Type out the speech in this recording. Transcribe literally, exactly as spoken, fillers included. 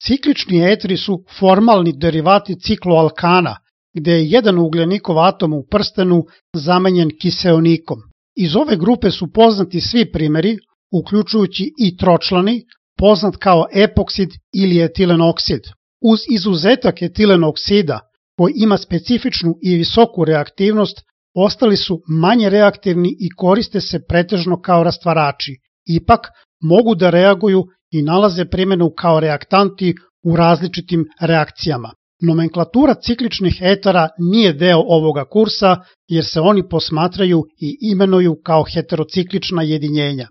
Ciklični eteri su formalni derivati cikloalkana, gde je jedan ugljenikov atom u prstenu zamenjen kiseonikom. Iz ove grupe su poznati svi primeri, uključujući i tročlani, poznat kao epoksid ili etilen oksid. Uz izuzetak etilen oksida, koji ima specifičnu i visoku reaktivnost, ostali su manje reaktivni i koriste se pretežno kao rastvarači. Ipak, mogu da reaguju i nalaze primjenu kao reaktanti u različitim reakcijama. Nomenklatura cikličnih etera nije deo ovoga kursa jer se oni posmatraju i imenuju kao heterociklična jedinjenja.